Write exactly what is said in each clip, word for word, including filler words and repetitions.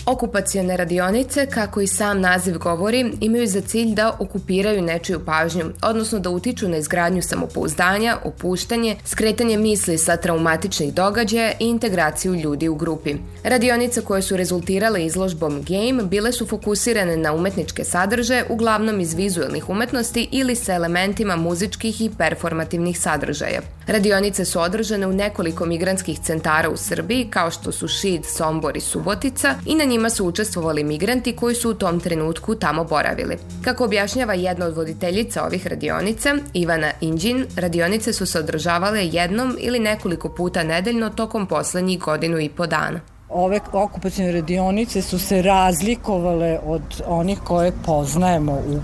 Okupacione radionice, kako i sam naziv govori, imaju za cilj da okupiraju nečiju pažnju, odnosno da utiču na izgradnju samopouzdanja, opuštanje, skretanje misli sa traumatičnih događaja i integraciju ljudi u grupi. Radionice koje su rezultirale izložbom Game bile su fokusirane na umetničke sadržaje, uglavnom iz vizuelnih umetnosti ili sa elementima muzičkih i performativnih sadržaja. Radionice su održane u nekoliko migrantskih centara u Srbiji, kao što su Šid, Sombor i Subotica, i na njima su učestvovali migranti koji su u tom trenutku tamo boravili. Kako objašnjava jedna od voditeljica ovih radionica, Ivana Inđin, radionice su se održavale jednom ili nekoliko puta nedeljno tokom poslednjih godinu i po dana. Ove okupacione radionice su se razlikovale od onih koje poznajemo u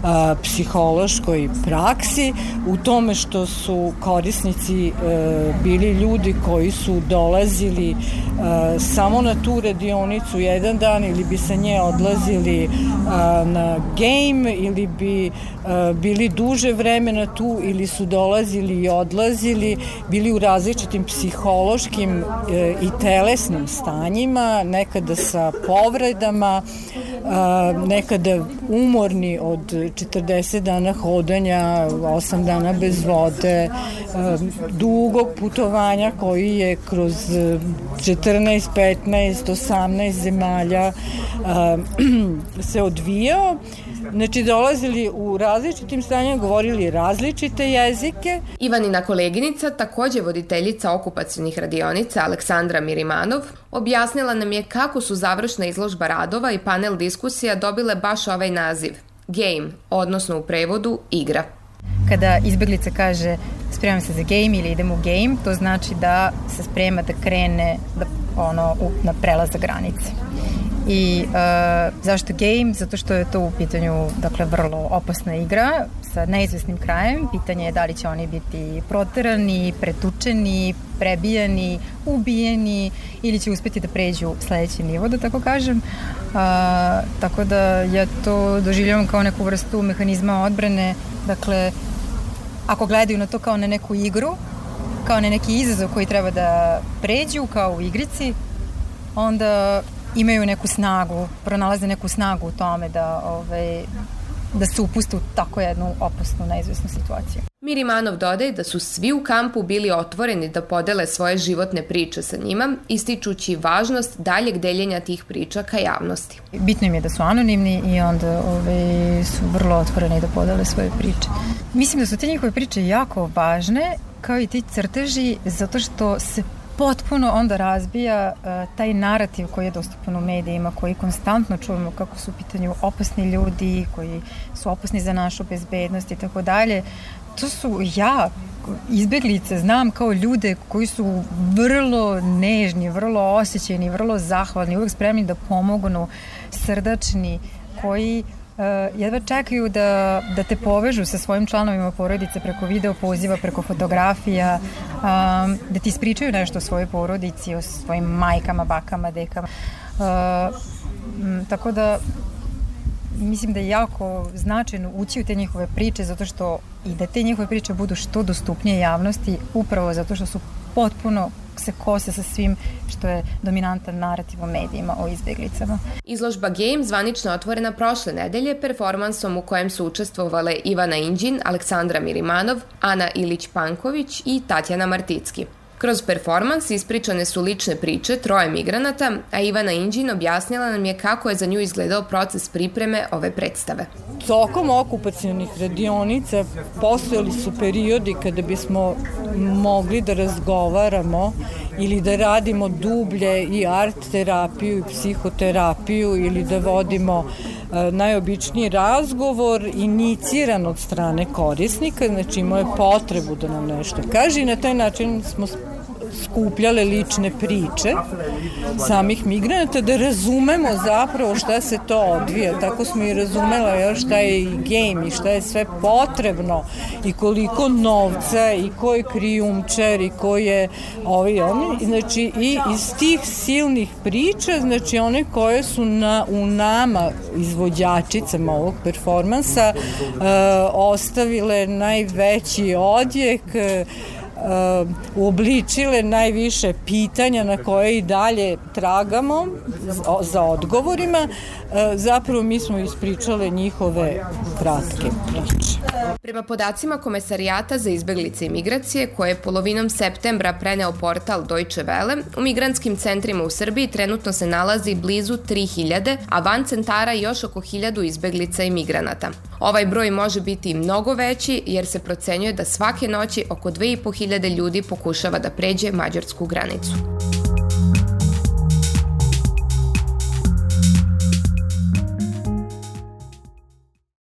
a, psihološkoj praksi, u tome što su korisnici e, bili ljudi koji su dolazili e, samo na tu radionicu jedan dan ili bi sa nje odlazili a, na game ili bi a, bili duže vremena tu ili su dolazili i odlazili, bili u različitim psihološkim e, i telesnim stanjima, nekada sa povredama, nekada umorni od četrdeset dana hodanja, osam dana bez vode, dugog putovanja koji je kroz četrnaest, petnaest, osamnaest zemalja se odvijao. Znači, dolazili u različitim stanjima, govorili različite jezike. Ivanina koleginica, takođe voditeljica okupacionih radionica, Aleksandra Mirimanov, objasnila nam je kako su završna izložba radova i panel diskusija dobile baš ovaj naziv, Game, odnosno u prevodu igra. Kada izbeglica kaže spremam se za game ili idem u game, to znači da se sprema da krene da, ono, na prelazak granice. I uh, zašto game? Zato što je to u pitanju, dakle, vrlo opasna igra sa neizvesnim krajem. Pitanje je da li će oni biti proterani, pretučeni, prebijani, ubijeni ili će uspeti da pređu sledeći nivo, da tako kažem. Uh, tako da ja to doživljavam kao neku vrstu mehanizma odbrane. Dakle, ako gledaju na to kao na neku igru, kao na neki izazov koji treba da pređu, kao u igrici, onda imaju neku snagu, pronalaze neku snagu u tome da, ovaj, da se upuste u tako jednu opasnu, neizvesnu situaciju. Mirimanov dodaje da su svi u kampu bili otvoreni da podele svoje životne priče sa njima, ističući važnost daljeg deljenja tih priča ka javnosti. Bitno im je da su anonimni i onda ovaj, su vrlo otvoreni da podele svoje priče. Mislim da su te njihove priče jako važne, kao i ti crteži, zato što se potpuno onda razbija uh, taj narativ koji je dostupan u medijima, koji konstantno čujemo kako su u pitanju opasni ljudi, koji su opasni za našu bezbednost i tako dalje. To su ja, izbeglice, znam kao ljude koji su vrlo nežni, vrlo osjećajni, vrlo zahvalni, uvek spremni da pomognu, srdačni, koji Uh, jedva čekaju da, da te povežu sa svojim članovima porodice preko video poziva, preko fotografija, um, da ti ispričaju nešto o svojoj porodici, o svojim majkama, bakama, dekama. Uh, m, tako da mislim da je jako značajno ući u te njihove priče, zato što i da te njihove priče budu što dostupnije javnosti, upravo zato što su potpuno se kose sa svim što je dominantan narativ u medijima o izbjeglicama. Izložba Game zvanično otvorena prošle nedelje performansom u kojem su učestvovale Ivana Inđin, Aleksandra Mirimanov, Ana Ilić-Panković i Tatjana Marticki. Kroz performans ispričane su lične priče troje migranata, a Ivana Inđin objasnila nam je kako je za nju izgledao proces pripreme ove predstave. Tokom okupacionih radionica postojali su periodi kada bismo mogli da razgovaramo ili da radimo dublje i art terapiju i psihoterapiju ili da vodimo e, najobičniji razgovor iniciran od strane korisnika, znači imao je potrebu da nam nešto kaže i na taj način smo skupljale lične priče samih migranata da razumemo zapravo šta se to odvija. Tako smo i razumela još šta je i game i šta je sve potrebno i koliko novca i ko je krijumčar i ko je ovi oni. Znači i iz tih silnih priča, znači one koje su na, u nama izvođačicama ovog performansa e, ostavile najveći odjek, uobličile najviše pitanja na koje i dalje tragamo za odgovorima. Zapravo mi smo ispričale njihove kratke priče. Prema podacima Komesarijata za izbeglice i migracije, koje je polovinom septembra preneo portal Deutsche Welle, u migrantskim centrima u Srbiji trenutno se nalazi blizu tri hiljade, a van centara još oko hiljadu izbeglica i migranata. Ovaj broj može biti mnogo veći jer se procenjuje da svake noći oko dve i po hiljade ljudi pokušava da pređe mađarsku granicu.